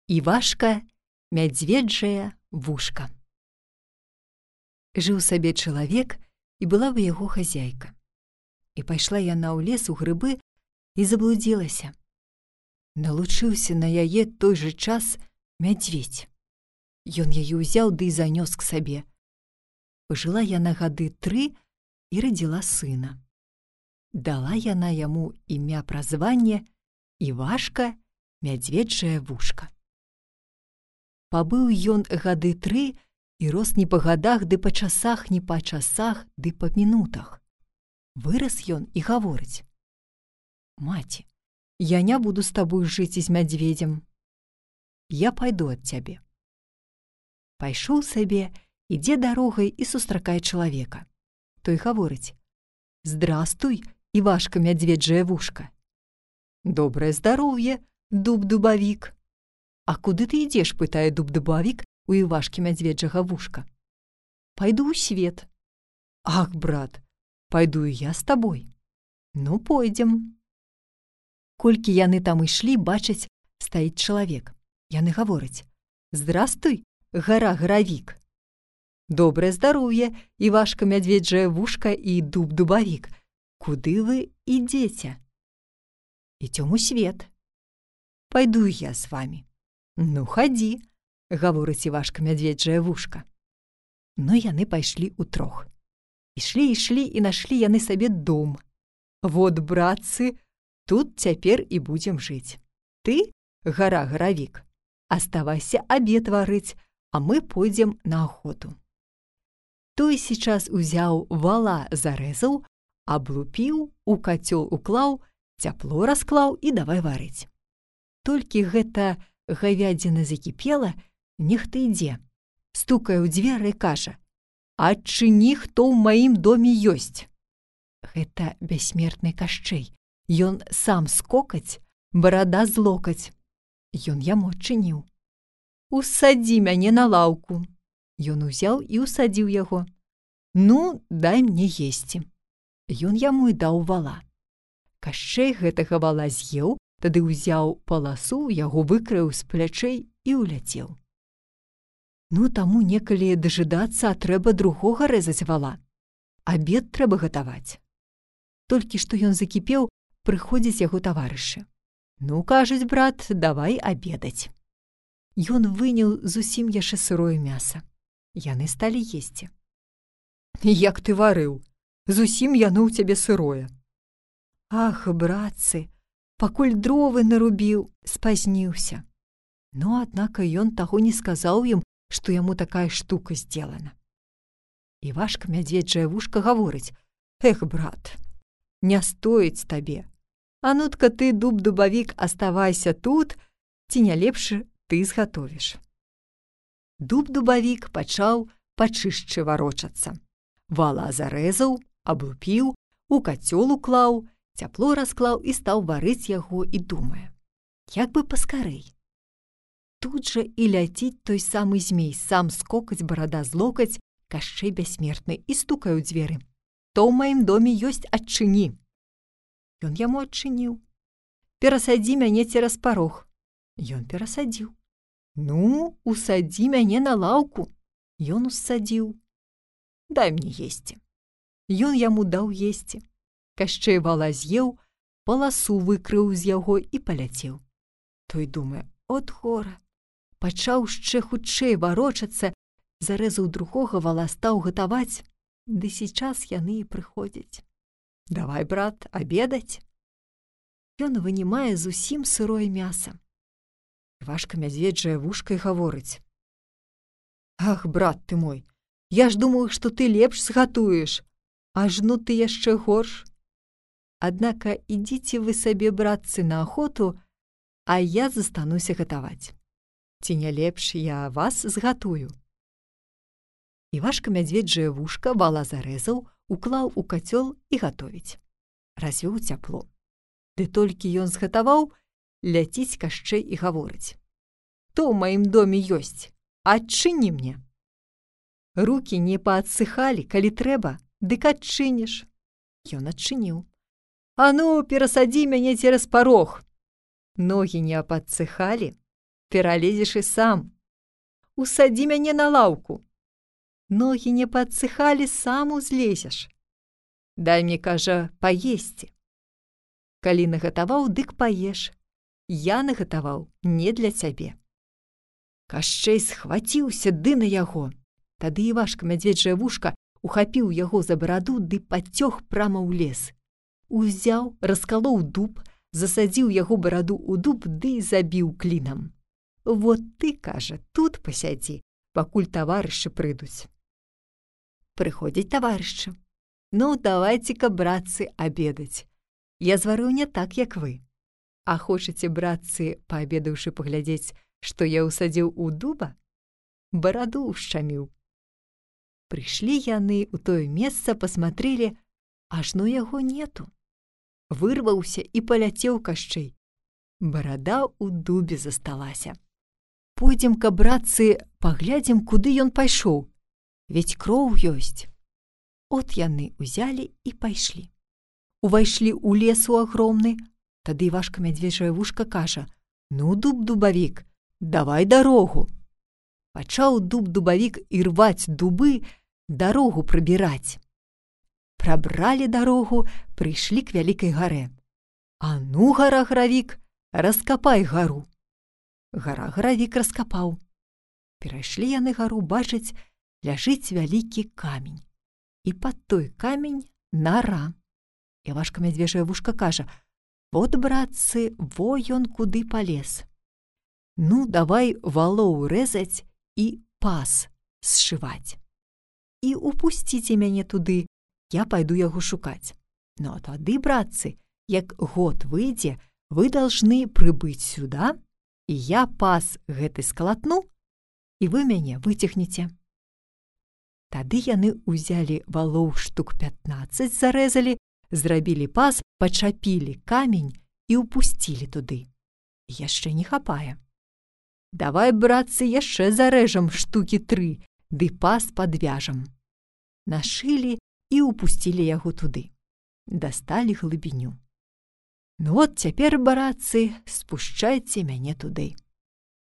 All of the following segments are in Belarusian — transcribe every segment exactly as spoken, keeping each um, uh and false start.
Івашка мядзведжае вушка. Жыў сабе чалавек, і была бы яго хазяйка. І пайшла яна ў лес у грыбы і заблудзілася. Налучыўся на яе той жа час мядзведзь. Ён яе ўзяў ды і занёс к сабе. Пажыла яна гады тры і радзіла сына. Дала яна яму імя-празванне Івашка мядзведжае вушка. Пабыў ён гады тры і рос не па гадах, ды па часах, не па часах, ды па мінутах. Вырас ён і гаворыць: «Маці, я не буду з табой жыць з мядзведзем. Я пайду ад цябе». Пайшоў сабе, ідзе дарогай і сустракае чалавека. Той гаворыць: «Здрастуй, Івашка мядзведжае вушка». «Добрае здароўе, дуб-дубавік». «А куды ты ідзеш?» – пытае дуб-дубавік у Івашкі мядзведжага вушка. «Пайду ў свет». «Ах, брат, пайду і я з табой». «Ну, пойдзем». Колькі яны там ішлі, бачаць, стаіць чалавек. Яны гавораць: «Здрастуй, гара-гаравік». «Добрае здароўе, Івашка мядзведжае вушка і дуб-дубавік. Куды вы ідзеце?» «Ідзём у свет». «Пайду я з вамі». «Ну, хадзі», – гаворыць Івашка мядзведжае вушка. Ну, яны пайшлі ўтрох. Ішлі, ішлі, і нашлі яны сабе дом. «Вот, братцы, тут цяпер і будзем жыць. Ты, гара-гаравік, аставайся абед варыць, а мы пойдзем на ахоту». Той сейчас узяў вала, зарэзаў, аблупіў, у кацёл уклаў, цяпло расклаў і давай варыць. Толькі гэта гавядзіна закіпела, нехта ідзе, стукае ў дзверы і кажа: «Адчыні, хто ў маім доме ёсць». Гэта бяссмертны Кашчэй. Ён сам скокаць, барада з локаць. Ён яму адчыніў. «Усадзі мяне на лаўку». Ён узяў і усадзіў яго. «Ну, дай мне есці». Ён яму і даў вала. Кашчэй гэтага вала з'еў, тады ўзяў паласу, яго выкраіў з плячэй і ўляцеў. Ну, таму некалі дажыдацца, а трэба другога рэзаць вала. Абед трэба гатаваць. Толькі што ён закіпеў, прыходзяць яго таварышы. «Ну, кажуць, брат, давай абедаць». Ён выняў зусім яшчэ сырое мяса. Яны сталі есці. «Як ты варыў? Зусім яно ў цябе сырое». «Ах, братцы, пакуль дровы нарубіў, спазніўся». Но, аднака, ён таго не сказаў ім, што яму такая штука сделана. Івашка мядзведжае вушка гаворыць: «Эх, брат, не стоіць табе. А ну-тка ты, дуб-дубавік, аставайся тут, ці не лепш ты згатовіш». Дуб-дубавік пачаў пачышчы варочацца. Вала зарэзаў, аблупіў, у кацёл уклаў, цяпло расклаў і стаў варыць яго і думае: як бы паскарэй. Тут жа і ляціць той самы змей, сам скокаць, барада злокаць, Кашчэй бяссмертны, і стукае ў дзверы: «То ў маім доме ёсць, адчыні». Ён яму адчыніў. «Перасадзі мяне цераз парог». Ён перасадзіў. «Ну, усадзі мяне на лаўку». Ён усадзіў. «Дай мне есці». Ён яму даў есці. Кашчэй вала з'еў, паласу выкрыў з яго і паляцеў. Той думае: от гора. Пачаў яшчэ хутчэй варочацца, зарэзаў другога вала, стаў гатаваць, ды сейчас яны і прыходзяць. «Давай, брат, абедаць». Ён вынімае зусім сырое мяса. Івашка мядзведжае вушка і гаворыць: «Ах, брат ты мой, я ж думаю, што ты лепш згатуеш, ажно ты яшчэ горш. Аднака ідзіце вы сабе, братцы, на ахоту, а я застануся гатаваць. Ці не лепш я вас згатую». Івашка мядзведжае вушка вала зарэзаў, уклаў у кацёл і гатовіць. Развёў цяпло. Ды толькі ён згатаваў, ляціць Кашчэй і гаворыць: «То ў маім доме ёсць, адчыні мне». «Рукі не паадсыхалі, калі трэба, дык адчыніш». Ён адчыніў. «А ну, перасадзі мяне цераз парог». Ногі не паадсыхалі, пералезеш і сам. Усадзі мяне на лаўку. Ногі не падсыхалі, сам узлезеш. Дай мне, кажа, паесці. Калі нагатаваў, дык паеш. Я нагатаваў не для цябе. Кашчэй схваціўся ды на яго. Тады Івашка мядзведжае вушка ухапіў яго за бараду ды пацёг прама ў лес. Узяў, раскалоў дуб, засадзіў яго бараду ў дуб ды забіў клінам. Вот ты, кажа, тут пасядзі, пакуль таварышы прыйдуць. Прыходзяць таварышы. Ну, давайце-ка, братцы, абедаць. Я зварыў не так, як вы. А хочаце, братцы, паабедаўшы, паглядзець, што я ўсадзіў у дуба? Бараду ўшчаміў. Прыйшлі яны ў тое месца, пасматрэлі, ажно яго нету. Вырваўся і паляцеў Кашчэй. Барада ў дубе засталася. Пойдзем-ка, братцы, паглядзім, куды ён пайшоў. Ведь кроў ёсць. От яны ўзялі і пайшлі. Увайшлі ў лес у агромны. Тады Івашка мядзведжае вушка кажа: ну, дуб-дубавік, давай дарогу. Пачаў дуб-дубавік ірваць дубы, дарогу прабіраць. Прабралі дарогу, прыйшлі к вялікай гарэ. А ну, гара-гравік, раскапай гару. Гара-гравік раскапаў. Перайшлі яны гару, бачаць, ляжыць вялікі камень. І пад той камень нара. Івашка мядзведжае вушка кажа: вот, братцы, во ён куды палез. Ну, давай валоў рэзаць і пас сшываць. І упусціце мяне туды, я пайду яго шукаць. Ну, а тады, братцы, як год выйдзе, вы должны прыбыць сюда, і я пас гэты скалатну, і вы мяне выцягнеце. Тады яны ўзялі валоў штук пятнаццаць, зарэзалі, зрабілі пас, пачапілі камень і ўпусцілі туды. Яшчэ не хапае. Давай, братцы, яшчэ зарэжам штукі тры, ды пас падвяжам. Нашылі і ўпусцілі яго туды. Дасталі глыбіню. Ну вот цяпер, братцы, спушчайце мяне туды.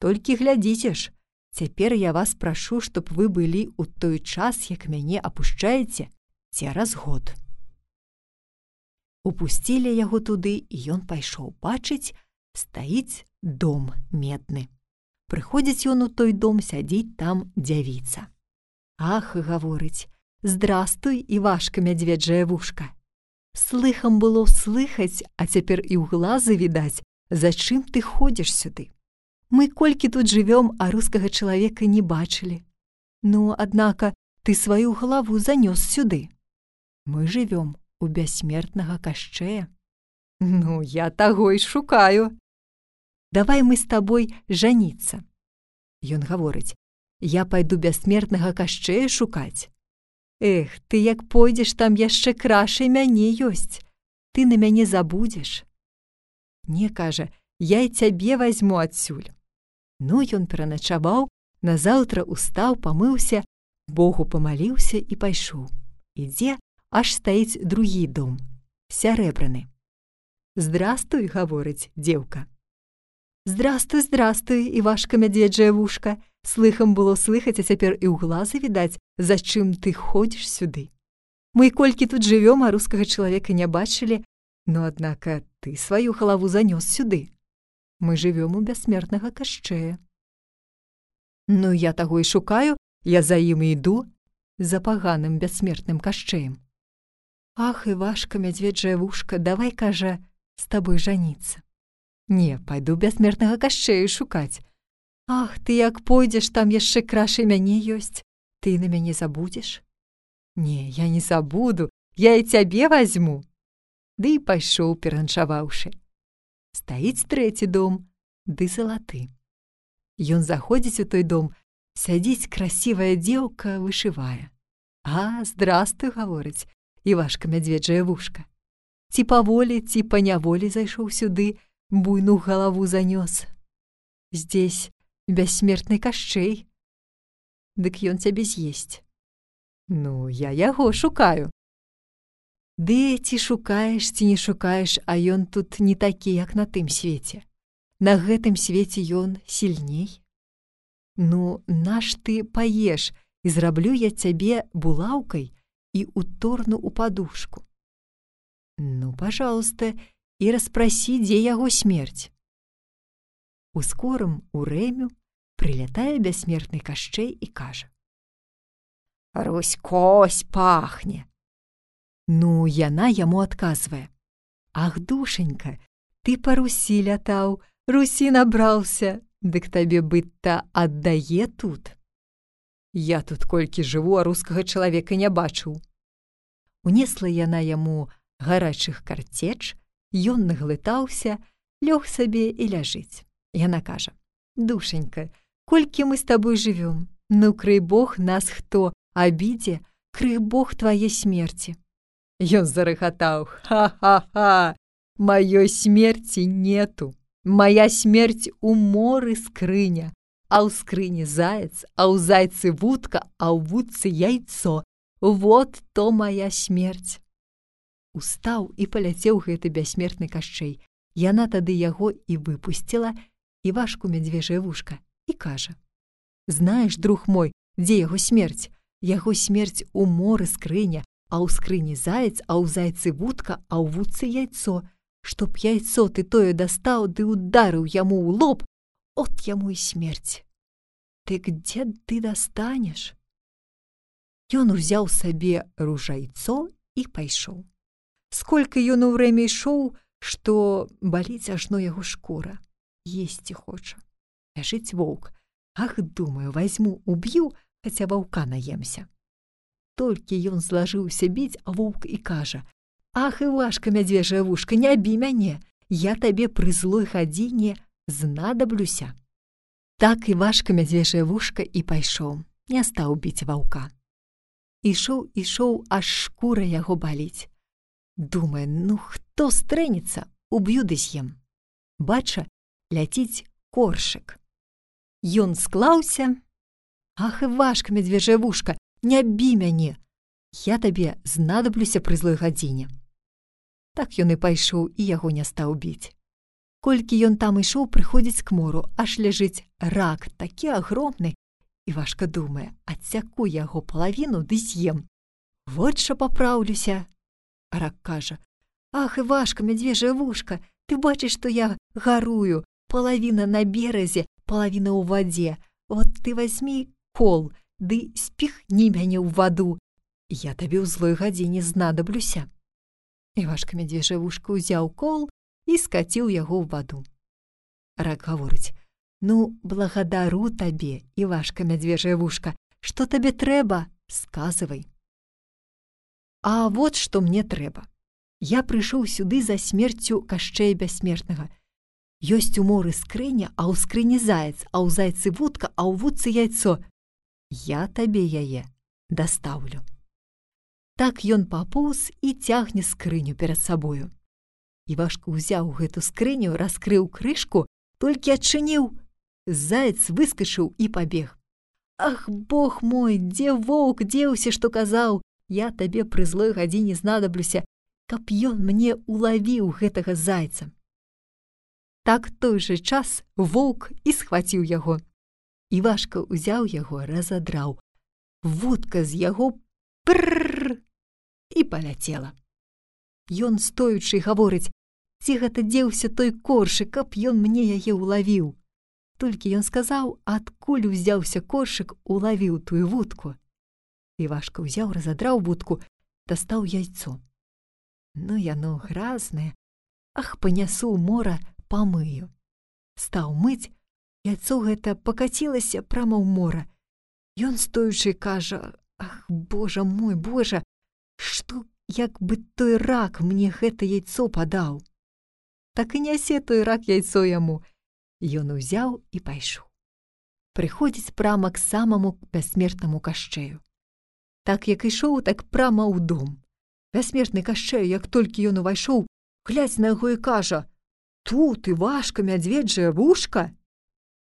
Толькі глядзіце ж, цяпер я вас прашу, чтоб вы былі ў той час, як мяне апушчаеце, цераз год. Упусцілі яго туды, і ён пайшоў. Бачыць, стаіць дом медны. Прыходзіць ён у той дом, сядзіць там дзявіца. Ах, гаворыць: здрастуй, Івашка мядзведжае вушка. Слыхам было слыхаць, а цяпер і ў глазы відаць, за чым ты ходзіш сюды. Мы колькі тут жывём, а рускага чалавека не бачылі. Ну, аднака, ты сваю галаву занёс сюды. Мы жывём у бяссмертнага Кашчэя. Ну, я таго і шукаю. Давай мы з табой жаніцца. Ён гаворыць: я пайду бяссмертнага Кашчэя шукаць. Эх, ты як пойдзеш, там яшчэ крашай мяне ёсць. Ты на мяне забудзеш. Не, кажа, я і цябе вазьму адсюль. Ну, ён пераначаваў, назаўтра устаў, памыўся, Богу памаліўся і пайшоў. Ідзе, аж стаіць другі дом, сярэбраны. Здрастуй, гаворыць дзеўка. Здрастуй, здрастуй, Івашка мядзведжае вушка. Слыхам было слыхаць, а цяпер і ў глазы відаць, за чым ты ходзіш сюды. Мы колькі тут жывём, а рускага чалавека не бачылі, но, аднака, ты сваю галаву занёс сюды. Мы жывём у бяссмертнага Кашчэя. Ну, я таго і шукаю, я за ім іду, за паганым бяссмертным Кашчэем. Ах, Івашка мядзведжае вушка, давай, кажа, з табой жаніцца. Не, пайду бяссмертнага Кашчэя шукаць. Ах, ты як пойдзеш, там яшчэ крашай мяне ёсць. Ты на мяне забудзеш? Не, я не забуду, я і цябе вазьму. Ды і пайшоў, пераначаваўшы. Стаіць трэці дом, ды залаты. Ён заходзіць у той дом, сядзіць красивая дзеўка, вышывае. А, здрастуй, гаворыць, Івашка мядзведжае вушка. Ці паволі, ці па няволі зайшоў сюды, буйну галаву занёс. Здесь бяссмертны Кашчэй. Дык ён цябе з'есць. Ну, я яго шукаю. Ды ці шукаеш, ці не шукаеш, а ён тут не такі, як на тым свеце. на гэтым свеце ён сільней. Ну, наш ты паеш, і зраблю я цябе булаўкай і уторну ў падушку. Ну, пожалуйста, і распрасі, дзе яго смерць. У скорым у рэмю прилятае бяссмертны Кашчэй і кажа: «Русь-кось пахне!» Ну, яна яму адказвае: «Ах, душенька, ты па Русі лятаў, Русі набраўся, дык табе быць-то аддае тут. Я тут колькі жыву, а рускага чалавека не бачыў». Унесла яна яму гарачых карцеч, ён наглытаўся, лёг сабе і ляжыць. Яна кажа: «Душенька, колькі мы з табой жывём, ну, крый Бог нас хто абідзе, крый Бог твае смерці». Ён зарыхатаў: «Ха-ха-ха! Маёй смерці нету. Моя смерць у моры скрыня, а ў скрыні заяц, а ў зайцы вудка, а ў вудцы яйцо. Вот то моя смерць». Устаў і паляцеў гэты бяссмертны Кашчэй. Яна тады яго і выпусціла, Івашку мядзвежае вушка, і кажа: «Знаеш, друг мой, дзе яго смерць? Яго смерць у моры скрыня, а ў скрыні заяц, а ў зайцы вудка, а ў вудцы яйцо. Чтоб яйцо ты тое дастаў, ды ударыў яму ў лоб, от яму і смерць. Дык дзе ты дастанеш?» Ён узяў сабе ружайцо і пайшоў. Сколькі ён у врэме ішоў, што баліць ажно яго шкура. Есці хоча. Ляжыць воўк. Ах, думаю, вазьму, уб'ю, хаця ваўка наемся. Толькі ён злажыўся біць, а воўк і кажа: «Ах, Івашка мядзвежае вушка, не бі мяне, я табе пры злой гадзіне знадоблюся». Так Івашка мядзвежае вушка і пайшоў, не стаў біць ваўка. Ішоў, ішоў, аж шкура яго баліць. Думае: ну, хто стрэнецца, уб'ю ды з'ем. Бача, ляціць коршык. Ён склаўся: «Ах, Івашка мядзвежае вушка, не бі мяне, я табе знадоблюся пры злой гадзіне». Так ён і пайшоў, і яго не стаў біць. Колькі ён там ішоў, прыходзіць к мору, аж ляжыць рак, такі агромны. Івашка думае: адсяку яго палавіну ды з'ем. Вот жа папраўлюся. Рак кажа: «Ах, Івашка мядзвежае вушка, ты бачыш, што я гарую, палавіна на беразе, палавіна ў вадзе. Вот ты вазьмі кол, ды спіхні мяне ў ваду. Я табе ў злой гадзіне знадоблюся». Івашка мядзвежае вушка ўзяў кол і скаціў яго ў ваду. Рак гаворыць: «Ну, благодару табе, Івашка мядзвежае вушка, што табе трэба, сказывай». «А вот што мне трэба. Я прыйшоў сюды за смерцю Кашчэя бяссмертнага. Ёсць у моры скрыня, а ў скрыні заяц, а ў зайцы вудка, а ў вудцы яйцо. Я табе яе дастаўлю». Так ён папоўз і цягне скрыню перад сабою. Івашка ўзяў гэту скрыню, раскрыў крышку, толькі адчыніў. Заяц выскачыў і пабег. «Ах, Бог мой, дзе воўк дзеўся, што казаў, я табе пры злой гадзіне знадоблюся, каб ён мне улавіў гэтага зайца». Так той жа час воўк і схваціў яго. Івашка ўзяў яго, разадраў. Вудка з яго прррр і паляцела. Ён, стоючы, гаворыць: «Ці гэта дзеўся той коршык, каб ён мне яе улавіў». Толькі ён сказаў, адкуль узяўся коршык, улавіў тую вудку. Івашка ўзяў, разадраў вудку, дастаў яйцо. Ну, яно гразнае. Ах, панясу ў мора, памыю. Стаў мыць, яйцо гэта пакацілася прама ў мора. Ён, стоючы, кажа: «Ах, Божа мой, Божа, што, як бы той рак мне гэта яйцо падаў». Так і нясе той рак яйцо яму. Ён узяў і пайшоў. Прыходзіць прама к самаму бяссмертнаму Кашчэю. Так як ішоў, так прама ў дом. Бяссмертны Кашчэй, як толькі ён увайшоў, глядзь на яго і кажа: «Тут Івашка мядзведжае вушка?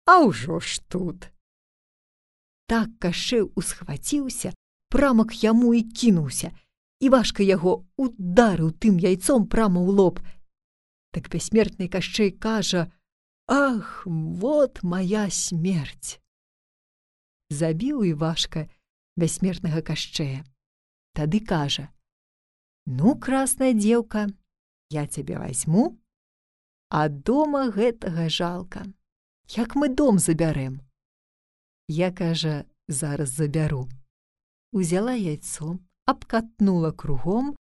А ўжо ж тут». Так Кашчэй усхваціўся, прама к яму і кінуўся. Івашка яго ударыў тым яйцом прама ў лоб. Так бяссмертны Кашчэй кажа: Ах, вот моя смерть! Забіў Івашка бяссмертнага Кашчэя. Тады кажа: ну, красная дзеўка, я цябе вазьму, а дома гэтага жалка. Як мы дом забярэм? Я, кажа, зараз забяру. Узяла яйцо, абкатнула кругом,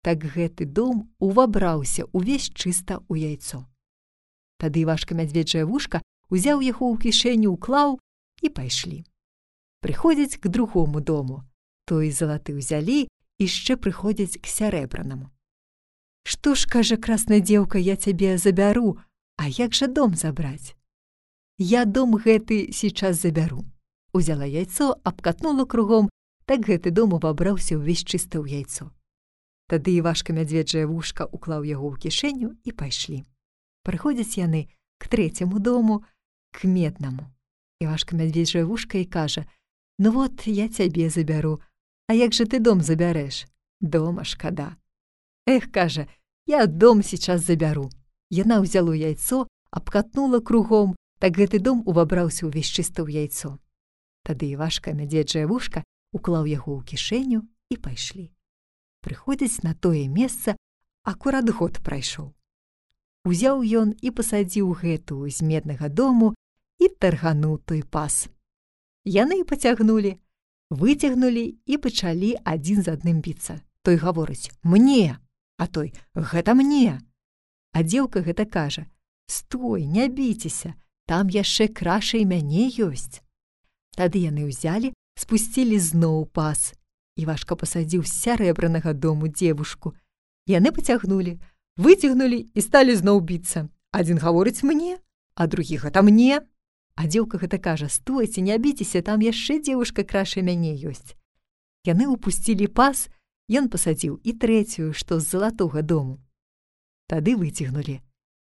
так гэты дом увабраўся увесь чыста ў яйцо. Тады Івашка мядзведжае вушка узяў яго ў кішэню, уклаў і пайшлі. Прыходзяць к другому дому. Той залаты ўзялі, яшчэ прыходзяць к сярэбранаму. Што ж, кажа, красная дзеўка, я цябе забяру, а як жа дом забраць? Я дом гэты сейчас забяру. Узяла яйцо, абкатнула кругом, так гэты дом увабраўся ўвесь чыста ў яйцо. Тады Івашка мядзведжае вушка уклаў яго ў кішэню і пайшлі. Прыходзяць яны к трэцяму дому, к меднаму. Івашка мядзведжае вушка і кажа: ну вот, я цябе забяру, а як жа ты дом забярэш? Дома шкада. Эх, кажа, я дом сейчас забяру. Яна ўзяла яйцо, абкатнула кругом, так гэты дом увабраўся ўвесь чыста ў яйцо. Тады Івашка мядзведжае вушка уклаў яго ў кішэню і пайшлі. Прыходзіць на тое месца, акурат год прайшоў. Узяў ён і пасадзіў гэтую з меднага дому і таргануў той пас. Яны пацягнулі, выцягнулі і пачалі адзін з адным біцца. Той гаворыць: мне, а той: гэта мне. А дзеўка гэта кажа: стой, не біцеся, там яшчэ краша і мяне ёсць. Тады яны ўзялі, спусцілі зноў пас. Івашка пасадзіў з сярэбранага дому дзевушку. Яны пацягнулі, выцягнулі і сталі зноў біцца. Адзін гаворыць: мне, а другі: гэта мне. А дзеўка гэта кажа: стойце, не біцеся, там яшчэ дзевушка краша мяне ёсць. Яны ўпусцілі пас, ён пасадзіў і трэцюю, што з залатога дому. Тады выцягнулі.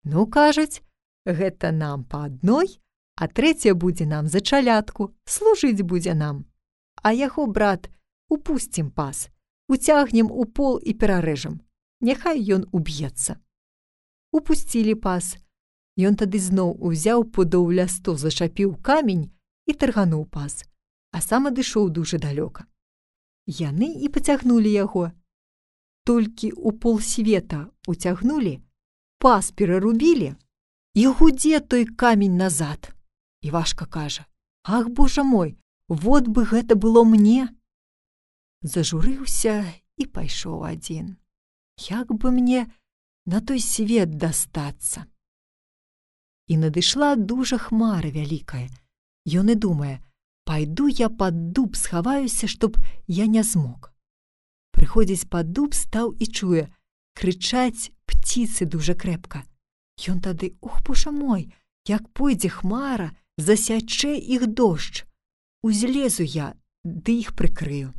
Ну, кажуць, гэта нам па адной, а трэця будзе нам за чалядку, служыць будзе нам. А яго, брат, упусцім пас, уцягнем у пол і перарэжам. Няхай ён уб'ецца. Упусцілі пас. Ён тады зноў узяў пудоў ля сто, зачапіў камень і таргануў пас, а сам адышоў дужа далёка. Яны і пацягнулі яго. Толькі ў полсвета уцягнулі, пас перарубілі, і гудзе той камень назад. Івашка кажа: ах, божа мой, вот бы гэта было мне. Зажурыўся і пайшоў адзін. Як бы мне на той свет дастацца? І надышла дужа хмара вялікая. Ён і думае: пайду я пад дуб схаваюся, чтоб я не змог. Прыходзіць пад дуб, стаў і чуе, крычаць птіцы дужа крэпка. Ён тады: ох, божа мой, як пойдзе хмара, засячэ іх дождж. Узлезу я, ды іх прыкрыю.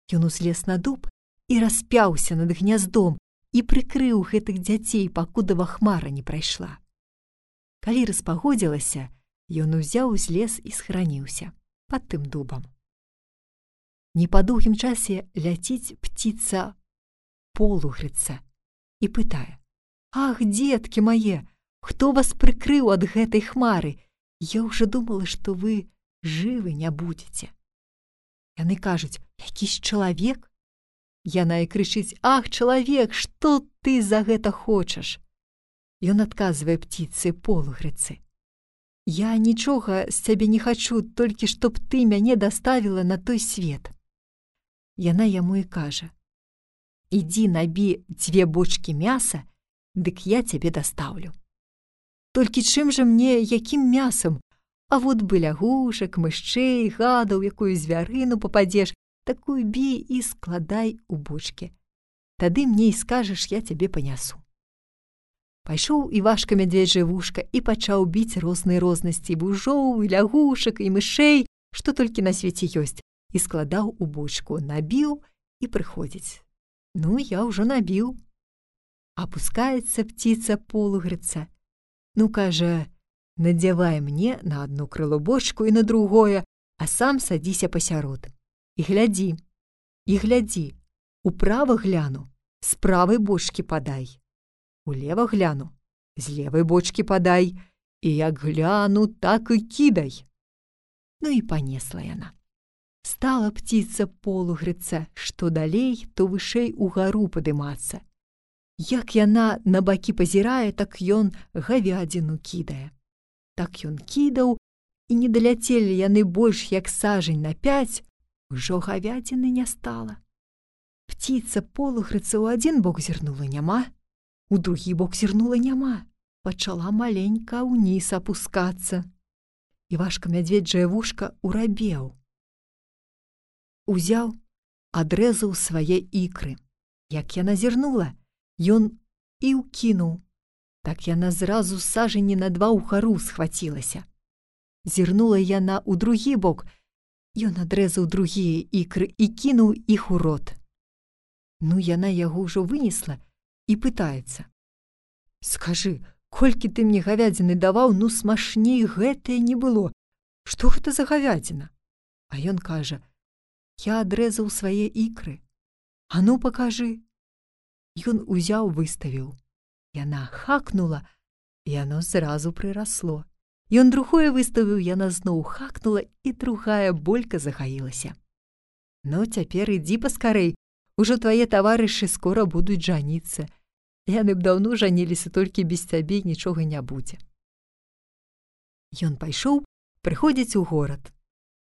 Ён узлез на дуб і распяўся над гняздом і прыкрыў гэтых дзяцей, пакудова хмара не прайшла. Калі распагодзілася, ён узяў узлез і схраніўся пад тым дубам. Не па доўгім часе ляціць птіца полугрыца і пытае: ах, дзеткі мае, хто вас прыкрыў ад гэтай хмары? Я ўжо думала, што вы жывы не будзеце. Яны кажуць: якісь чалавек? Яна і крычыць: ах, чалавек, што ты за гэта хочаш? Ён адказвае птіцы полугрыцы: я нічога з цябе не хачу, толькі чтоб ты мяне даставіла на той свет. Яна яму і кажа: ідзі набі дзве бочкі мяса, дык я цябе дастаўлю. Толькі чым жа мне, якім мясам? А вот бы лягушак, мышчэй, гадаў, якую звярыну пападзеш, такую бі і складай у бочкі. Тады мне і скажаш, я цябе панясу. Пайшоў Івашка мядзведжае вушка і пачаў біць розныя рознасці вужоў, і лягушак, і мышэй, што толькі на свеце ёсць, і складаў у бочку, набіў і прыходзіць. Ну, я ўжо набіў. Апускаецца птіца полугрыца. Ну, кажа, надзявай мне на одно крыло бочку і на другое, а сам садзіся пасярод. І глядзі, і глядзі, управа гляну, з правай бочкі падай. Улева гляну, з левай бочкі падай, і як гляну, так і кідай. Ну і панесла яна. Стала птица полу грыцца, што далей, то вышэй угару падымацца. Як яна на бакі пазірае, так ён гавядзіну кідае. Так ён кідаў, і не даляцелі яны больш як сажень на пяць, ужо гавядзіны не стала. Птица полухрыца ў адзін бок зірнула няма, у другі бок зірнула няма, пачала маленька ўніз апускацца. Івашка мядзведжае вушка урабеў. Узяў, адрэзаў свае ікры. Як яна зірнула, ён і ўкінуў. Так яна зразу сажені на два ўгару схвацілася. Зірнула яна ў другі бок, ён адрэзаў другія ікры і кінуў іх у рот. Ну, яна яго ўжо вынесла і пытаецца. Скажы, колькі ты мне гавядзіны даваў, ну смачней гэтае не было. Што гэта за гавядзіна? А ён кажа, я адрэзаў свае ікры. А ну пакажы. Ён узяў, выставіў. Яна хакнула, і яно зразу прырасло. Ён другое выставіў, яна зноў хакнула, і другая болька загаілася. Ну, цяпер ідзі паскарэй, ужо твае таварышы скора будуць жаніцца. Яны б даўно жаніліся, толькі без цябе нічога не будзе. Ён пайшоў, прыходзіць у горад.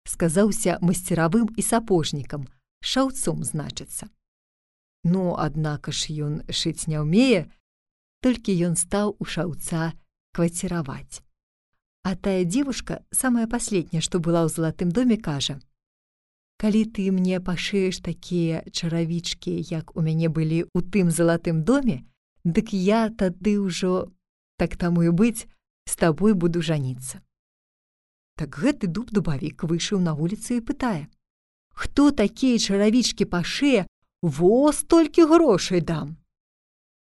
Сказаўся масцеравым і сапожнікам, шаўцом, значыцца. Ну, аднака ж ён шыць не ўмее, толькі ён стаў у шаўца кваціраваць. А тая дзевушка, самая паследняя, што была ў залатым доме, кажа, калі ты мне пашыеш такія чаравічкі, як у мяне былі ў тым залатым доме, дык я тады ўжо, так таму і быць, з табой буду жаніцца. Так гэты дуб-дубавік выйшаў на вуліцу і пытае, хто такія чаравічкі пашые, во столькі грошай дам.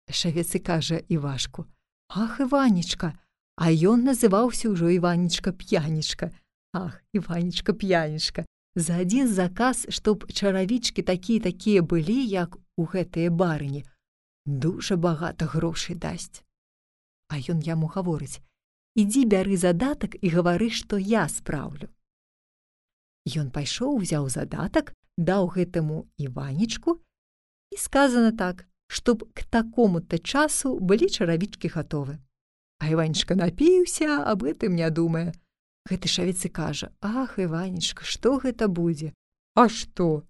Шавец і кажа Івашку, ах, Іванечка, а ён называўся ўжо Іванечка-п'янечка. Ах, Іванечка-п'янечка, за адзін заказ, чтоб чаравічкі такія-такія былі, як у гэтыя барыні, дужа багата грошай дасць. А ён яму гаворыць, ідзі бяры задатак і гавары, што я спраўлю. Ён пайшоў, узяў задатак, даў гэтаму Іванечку, і сказана так, чтоб к такому-то часу былі чаравічкі гатовы. А Іванечка напіўся, аб гэтым не думае. Гэты шавец і кажа, ах, Іванечка, што гэта будзе? А што?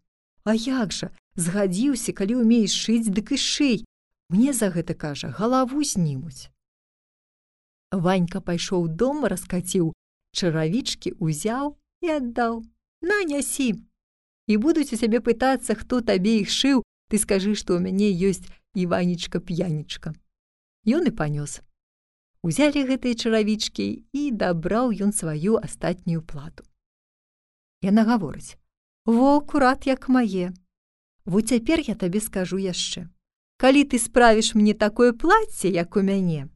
А як жа, згадзіўся, калі ўмееш шыць, дык і шый. Мне за гэта, кажа, галаву знімуць. Ванька пайшоў дома, раскаціў, чаравічкі узяў і аддаў. На, нясі. І будуць у цябе пытацца, хто табе іх шыў, ты скажы, што ў мяне ёсць Іванечка-п'янечка. Ён і панёс. Узялі гэтыя чаравічкі, і дабраў ён сваю астатнюю плату. Яна гаворыць, во, акурат як мае. Во цяпер я табе скажу яшчэ. Калі ты справіш мне такое плацце, як у мяне,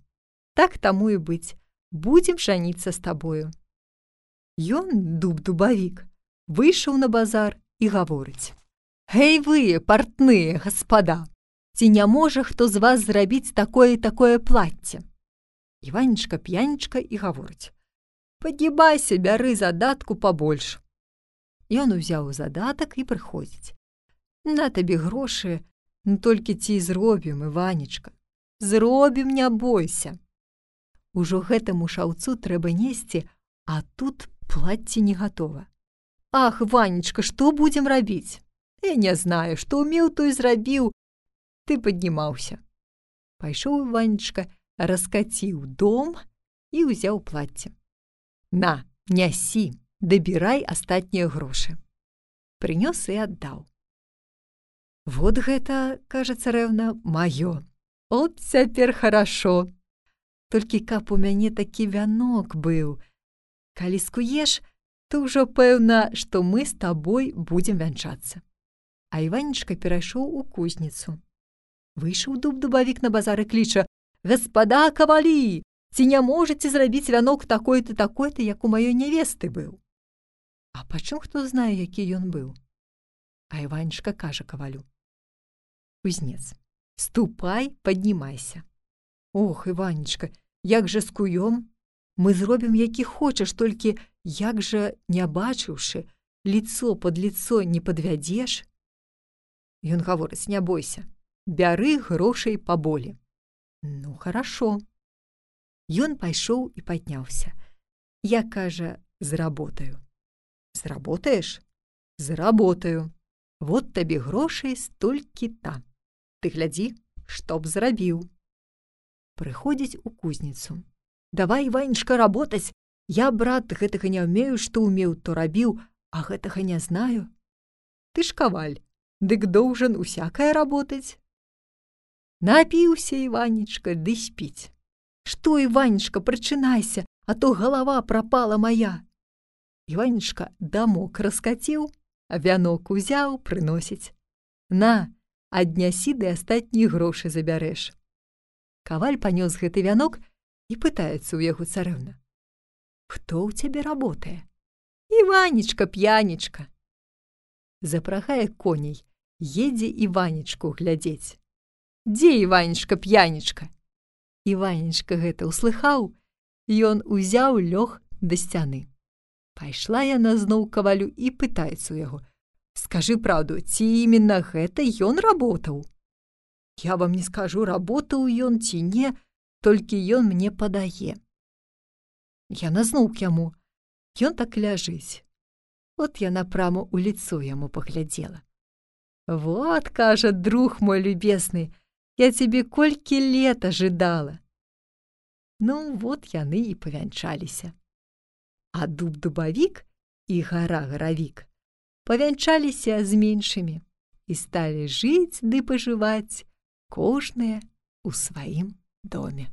так таму і быць, будзем жаніцца з табою. Ён, дуб-дубавік, выйшаў на базар і гаворыць. Гэй вы, партныя, гаспада, ці не можа хто з вас зрабіць такое-такое плацце? Іванечка-п'янечка і гаворыць. Падгібайся, бяры задатку пабольш. Ён узяў задатак і прыходзіць. На табе грошы, ну толькі ці зробім, Іванечка. Зробім, не бойся. Ужо гэтаму шаўцу трэба несці, а тут плацце не гатова. Ах, Ванечка, што будзем рабіць? Я не знаю, што ўмеў, то і зрабіў. Ты паднімаўся. Пайшоў Ванечка, раскаціў дом і ўзяў плацце. На, нясі, дабірай астатнія грошы. Прынёс і аддаў. Вот гэта, кажа царэўна, маё. От цяпер харашо. Толькі каб у мяне такі вянок быў. Калі скуеш, то ўжо пэўна, што мы з табой будзем вянчацца. А Іванечка перайшоў у кузніцу. Выйшаў дуб-дубавік на базар і кліча, «Гаспада кавалі, ці не можаце зрабіць вянок такой-то, такой-то, як у маёй нявесты быў?» А пачым хто знае, які ён быў? А Іванечка кажа кавалю, «Кузнец, ступай, паднімайся. Ох, Іванечка, як жа скуём? Мы зробім, які хочаш, толькі як жа, не бачыўшы, лицо под лицо не падвядзеш? Ён гаворыць, не бойся, бяры грошай паболі. Ну, хорошо. Ён пайшоў і падняўся. Я, кажа, зработаю. Зработаеш? Зработаю. Вот табе грошай столькі-та. Ты глядзі, што б зрабіў. Прыходзіць у кузніцу. Давай, Іванечка, работаць. Я, брат, гэтага не ўмею, што ўмеў, то рабіў, а гэтага не знаю. Ты ж каваль, дык доўжан усякае работаць. Напіўся, Іванечка, ды спіць. Што, Іванечка, прачынайся, а то галава прапала моя. Іванечка дамок раскаціў, а вянок узяў, прыносіць. На, аднясі ды астатнія грошы забярэш. Каваль панёс гэты вянок і пытаецца ў яго царэўна. Хто ў цябе работае? Іванечка, п'янечка. Запрагае коней, едзе Іванечку глядзець. Дзе Іванечка, п'янечка? Іванечка гэта ўслыхаў, ён узяў лёг да сцяны. Пайшла яна зноў кавалю і пытаецца ў яго. Скажы праўду, ці іменно гэта ён работаў? Я вам не скажу, работаў ён ці не, толькі ён мне падае. Яна зноў к яму. Ён так ляжыць. От яна прама ў лицо яму паглядзела. Вот, кажа, друг мой любесны, я цябе колькі лет ажыдала. Ну, вот яны і павянчаліся. А дуб-дубавік і гара-гаравік павянчаліся з меншымі і сталі жыць ды пажываць, кожныя ў сваім доме.